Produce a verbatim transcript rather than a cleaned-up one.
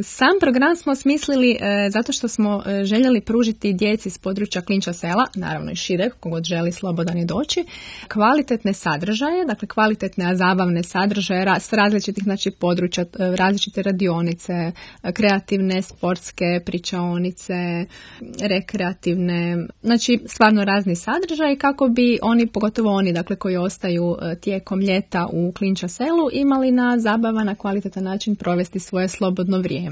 Sam program smo smislili e, zato što smo e, željeli pružiti djeci s područja Klinča sela, naravno i šireg, kogod želi slobodan je doći, kvalitetne sadržaje, dakle kvalitetne, a zabavne sadržaje ra, s različitih znači, područja, e, različite radionice, e, kreativne, sportske, pričaonice, rekreativne, znači stvarno razni sadržaji kako bi oni, pogotovo oni dakle koji ostaju e, tijekom ljeta u Klinča selu, imali na zabavan, na kvalitetan način provesti svoje slobodno vrijeme.